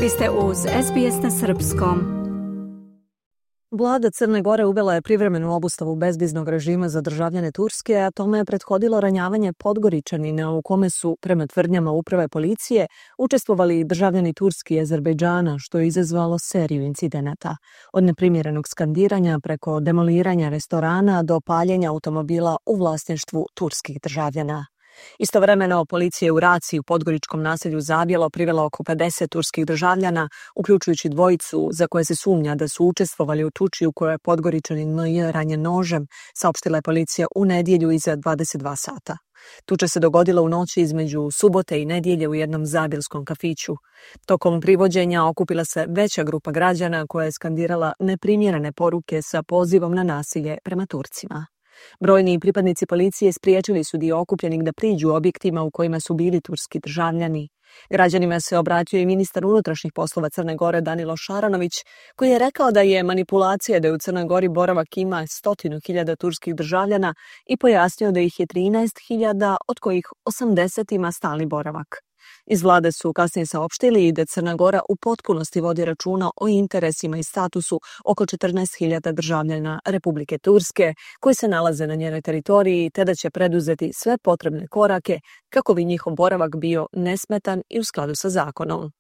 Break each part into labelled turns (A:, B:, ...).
A: Vi ste uz SBS na srpskom.
B: Vlada Crne Gore uvela je privremenu obustavu bezviznog režima za državljane Turske, a tome je prethodilo ranjavanje Podgoričanina u kome su, prema tvrdnjama uprave policije, učestvovali i državljani Turske i Azerbejdžana, što je izazvalo seriju incidenata. Od neprimjerenog skandiranja preko demoliranja restorana do paljenja automobila u vlasništvu turskih državljana. Istovremeno, policija je u raciji u podgoričkom naselju Zabjelo privela oko 50 turskih državljana, uključujući dvojicu za koje se sumnja da su učestvovali u tuči u kojoj je Podgoričanin M.J. ranjen nožem, saopštila je policija u nedjelju iza 22 sata. Tuča se dogodila u noći između subote i nedjelje u jednom zabjelskom kafiću. Tokom privođenja okupila se veća grupa građana koja je skandirala neprimjerene poruke sa pozivom na nasilje prema Turcima. Brojni pripadnici policije spriječili su dio okupljenih da priđu objektima u kojima su bili turski državljani. Građanima se obratio i ministar unutrašnjih poslova Crne Gore Danilo Šaranović, koji je rekao da je manipulacija da je u Crnoj Gori boravak ima 100.000 turskih državljana i pojasnio da ih je 13.000, od kojih 80 ima stalni boravak. Iz vlade su kasnije saopštili da Crna Gora u potpunosti vodi računa o interesima i statusu oko 14.000 državljana Republike Turske koji se nalaze na njenoj teritoriji, te da će preduzeti sve potrebne korake kako bi njihov boravak bio nesmetan i u skladu sa zakonom.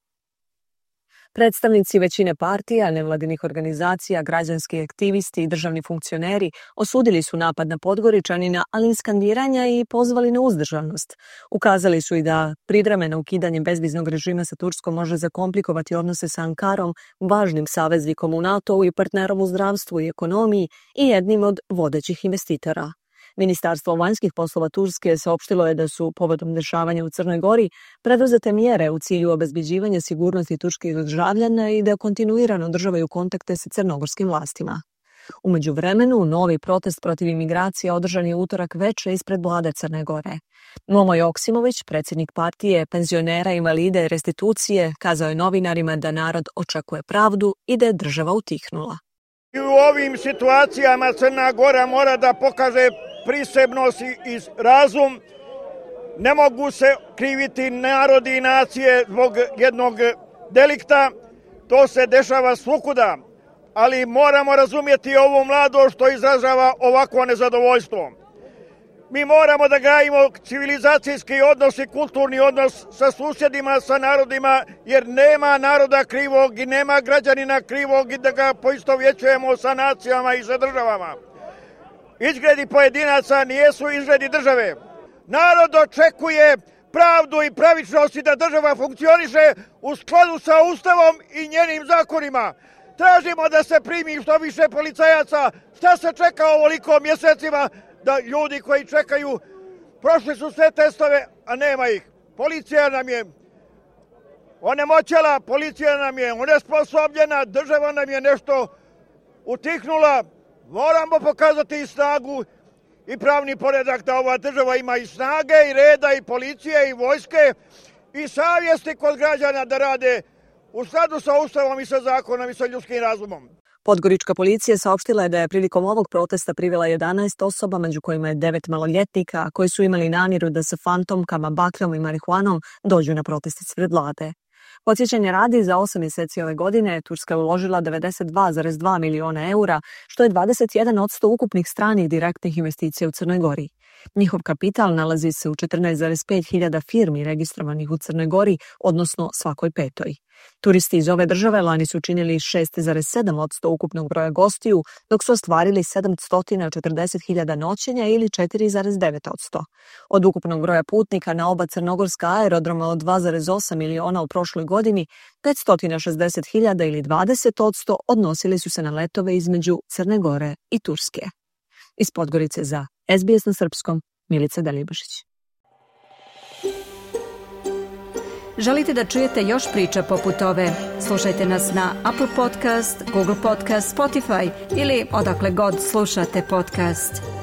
B: Predstavnici većine partija, nevladinih organizacija, građanski aktivisti i državni funkcioneri osudili su napad na Podgoričanina, ali i skandiranja i pozvali na uzdržanost. Ukazali su i da privremeno ukidanje bezviznog režima sa Turskom može zakomplikovati odnose sa Ankarom, važnim saveznikom u NATO-u i partnerom u zdravstvu i ekonomiji i jednim od vodećih investitora. Ministarstvo vanjskih poslova Turske saopštilo je da su povodom dešavanja u Crnoj Gori preduzete mjere u cilju obezbeđivanja sigurnosti turskih državljana i da kontinuirano održavaju kontakte sa crnogorskim vlastima. U međuvremenu, novi protest protiv imigracija održan je utorak veče ispred vlade Crne Gore. Momo Joksimović, predsjednik partije penzionera, invalida i restitucije, kazao je novinarima da narod očekuje pravdu i da je država utihnula.
C: I u ovim situacijama Crna Gora mora da pokaže prisebnost i razum. Ne mogu se kriviti narodi i nacije zbog jednog delikta. To se dešava svukuda. Ali moramo razumjeti ovu mladost što izražava ovakvo nezadovoljstvo. Mi moramo da gajimo civilizacijski odnos i kulturni odnos sa susjedima, sa narodima, jer nema naroda krivog i nema građanina krivog i da ga poistovjećujemo sa nacijama i sa državama. Izgledi pojedinaca nijesu izgledi države. Narod očekuje pravdu i pravičnost i da država funkcioniše u skladu sa Ustavom i njenim zakonima. Tražimo da se primi što više policajaca. Šta se čeka ovoliko mjesecima da ljudi koji čekaju prošli su sve testove, a nema ih. Policija nam je onemoćela, policija nam je onesposobljena, država nam je nešto utihnula. Moramo pokazati i snagu i pravni poredak da ova država ima i snage i reda i policije i vojske i savjesti kod građana da rade u skladu sa Ustavom i sa zakonom i sa ljudskim razumom.
B: Podgorička policija saopštila je da je prilikom ovog protesta privela 11 osoba, među kojima je 9 maloljetnika, koji su imali namjeru da sa fantomkama, bakljom i marihuanom dođu na protest ispred vlade. Podsjećanje radi, za 8 mjeseci ove godine Turska je uložila 92,2 miliona eura, što je 21% ukupnih stranih direktnih investicija u Crnoj Gori. Njihov kapital nalazi se u 14,5 hiljada firmi registrovanih u Crnoj Gori, odnosno svakoj petoj. Turisti iz ove države lani su činili 6,7% ukupnog broja gostiju, dok su ostvarili 740.000 noćenja ili 4,9%. Od ukupnog broja putnika na oba crnogorska aerodroma od 2,8 miliona u prošloj godini, 560.000 ili 20% odnosili su se na letove između Crne Gore i Turske. Iz Podgorice za SBS na srpskom, Milica Delibašić.
A: Želite da čujete još priča poput ove? Slušajte nas na Apple Podcast, Google Podcast, Spotify ili odakle god slušate podcast.